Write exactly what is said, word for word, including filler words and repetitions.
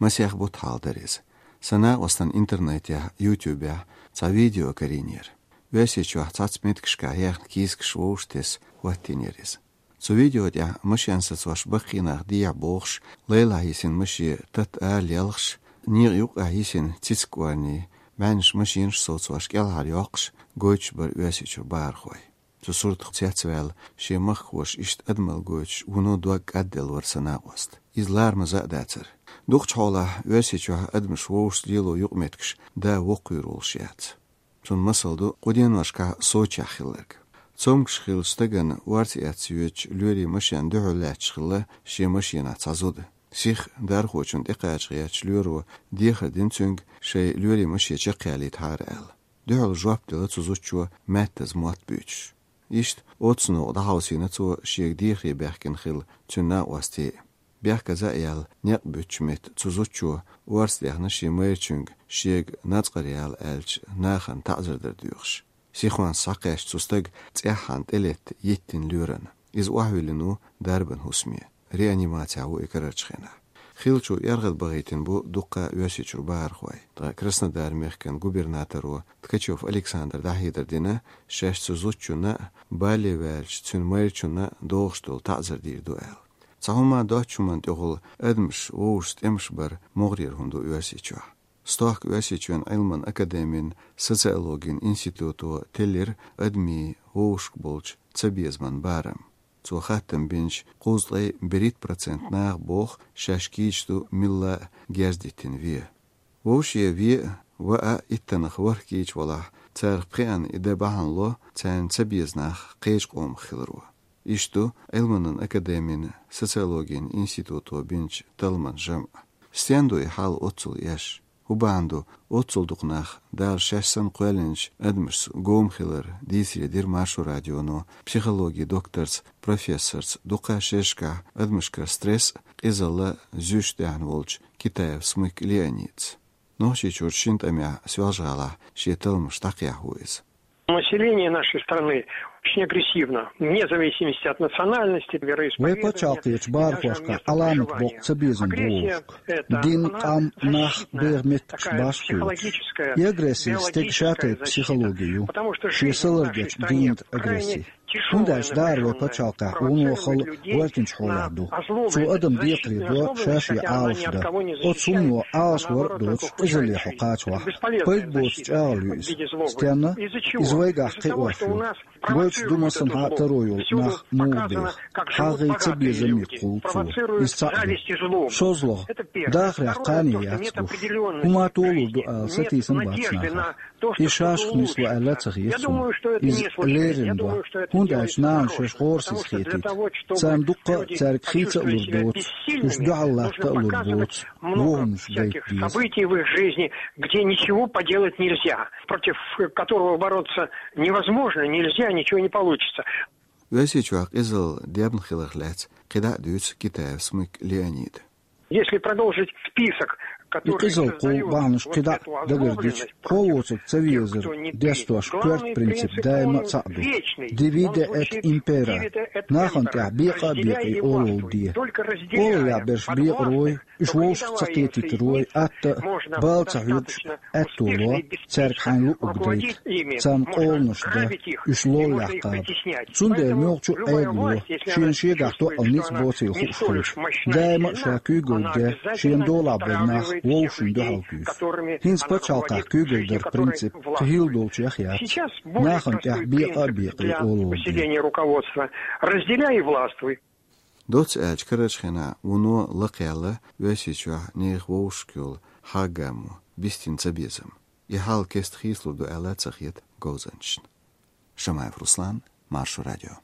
Масех бутт хьалха дара иза. Сан накъостан интернетехь, YouTube-ехь цхьа видео карийнера. Оьрсийчохь цхьацца меттигашкахь яьхна кийсакаш вовшахтесна хӀоттийнера иза. Цу видео тӀехь машен сацош баккхий нах дехьа бохуш, лайлахь йисина машен татта ара лелхаш, некъа юккъехь йисина цициг кӀорни, бӀеннаш машенаш совцош кӀелхьара йоккхуш, гойтуш бара Оьрсийчуьра бахархой. Цу суртах цецваьлла, шен махкахоша иштта адамалла гойтуш, вуно дог кӀадделла вара сан накъост. Иза ларам а, за а дацара. Дукхачу хьолахь Оьрсийчохь адамаш вовшашца лело юкъаметтигаш да воккхавер волуш яц. Цунна масал ду кху деношкахь Сочехь хилларг. Цомгуш хиллачу стагана орца эцна йоьдучу лоьрийн машенна дуьхьал лаьтташ хилла шен машенахь цхьа зуда. Сиха дархочунна тӀекхача гӀертачу лоьро дехар дина цуьнга, шайн лоьрийн машен чекхъялийтахьара аьлла. Дуьхьал жоп делла цу зудчо, маьттаза мотт буьйцуш. Иштта оццу новкъа дӀахьовсийна цо шега дехаре баьхкина хилла цуьнан накъостий. Бехказа а яьлла, некъ буьттучу метта цу зудчо орца даьхна шен майрачуьнга, шега нацкъара яла аьллачу нахана таӀзар дар доьхуш. Сихонца схьакхаьчча цу стага цӀеххьана тӀелетта йиттина лоьрана. Иза охьавиллина ву дарбан хӀусаме. Реанимацехь ву и карарчу хенахь. Хиллачо эргӀад бахийтина бу дуккха Оьрсийчуьра бахархой. Ткъа Краснодар-мехкан губернаторо Ткачев Александра дӀахьедар дина, шаьш цу зудчунна а, бале ваьллачу цуьнан майрачунна а догӀуш долу таӀзар дийр ду аьлла. Цхьа хӀума доцчу хӀуманна тӀехула адамаш вовшашца тӀемаш бар могӀарера хӀума ду Оьрсийчохь. Стохка Оьрсийчоьнан Ӏилманан академин социологин институто теллира адамийн вовшашка болчу цабезаман барам. Цо хаттам бинчу кхузткъе берхӀитта процент наха боху, шаьш кийча ду милла а герз диттина вен. Вовшийн вен а, ван а иттаннах ворхӀ кийча валахь, царах пхеана и дан бахьана ло царна цабеза нах кхечу къомах хиларо. Иштта ду Ӏилманан академин социологин институто бинчу талламан жамӀ. Стенна ду и хьал оццул эшна? ХӀун бахьана ду оццул дукха нах, Дала шаьш санна кхоьллинчу адамашца гома хилар, дийцаре дира Маршо радионо психологин докторца, профессорца, дукха шерашкахь адамашкара стресс а, къизалла а зуьйш даьхна волчу Китаев Смык Леонидца. Нохчийчуьра шина тӀамехь Соьлжа-ГӀалахь шен талламаш дӀакхехьо иза. Население нашей страны очень агрессивно, вне зависимости от национальности, вероисповедания. Вайн пачхьалкхерчу бахархошкахь Ӏаламат боккху цабезам бу вовшашка. Дин, къам, нах, беха меттигаш башха кхоьлуш. И агрессия стеган шатайпа психологи ю. Шен са лардечу дийнан агрессия. ХӀунда аьлча дара вайн пачхьалкхехь вуно хала гӀоьртинчу хьолехь ду. Цо адам декхаре до, ша-шен Ӏалашдан. Оцу хӀумано Ӏалашвар а доцуш, къизалле хьо кхачавахь. Пайда боцу чӀагӀалла ю иза. Стенна? Иза вайгахь кхиош ю. Гойтуш ду массанхьа а таро йолу нах муха беха. ХьагӀ а, цабезам а кхуллу цо. Иза цхьаъ ду. ШозлагӀа, дахарехь кхане яц гуш. ХӀума толур ду ала сатийсам бац нахана. И шашах нисло аьлла а ца хета суна. Иза леррина до, хӀунда аьлча нахана шаьш гӀорасиз хетийта. Царна дуккха а, цаьрга хийца а лур доцу, уьш дуьхьал латта а лур боцу вон хӀуманаш гайта деза. Событий в их жизни, где ничего поделать нельзя, против которого бороться невозможно, нельзя, ничего не получится. Оьрсийчохь къизалла дебна хиларх лаьцна кхидӀа а дуьйцу Китаев Смык Леонида. Если продолжить список, и который къизалла кху создает бахьанаш кхидӀа а дагардича, кхо воцург ца везар дестош коьрта принцип даима а цхьаъ ду. Divide et impera. Нахана тӀехь бекъа а бекъий олалла де. Олаллехь берш бекъарой, уьш вовшах ца кхетийтарой, атта а, бала ца хьоьгуш а аьтто ло, цаьрга хьайна луъург дайта. Царна къоланаш дан, уьш лоллехь кхаба. Цундела муьлххачу а Ӏедало шена шегахь тоъал ницкъ боцийла хууш хилча, даима а ша куьйгалла де, шена долахь болу нах вовшашна дуьхьал куьйсу. ХӀинца пачхьалкхехь куьйгалла дар принцип кхин хилла долчех яц. Нахана тӀехь бекъа а бекъий олалла де. Усиление руководства. Разделяй и властвуй. Доцца аьлча, карарчу хенахь вуно лакхаелла Оьрсийчохь нехан вовшашка йолу хьагӀ-гамо, бистина цабезам. И хьал кеста хийцалур ду аьлла а ца хета говзанчашна. Шамаев Руслан, Маршо радио.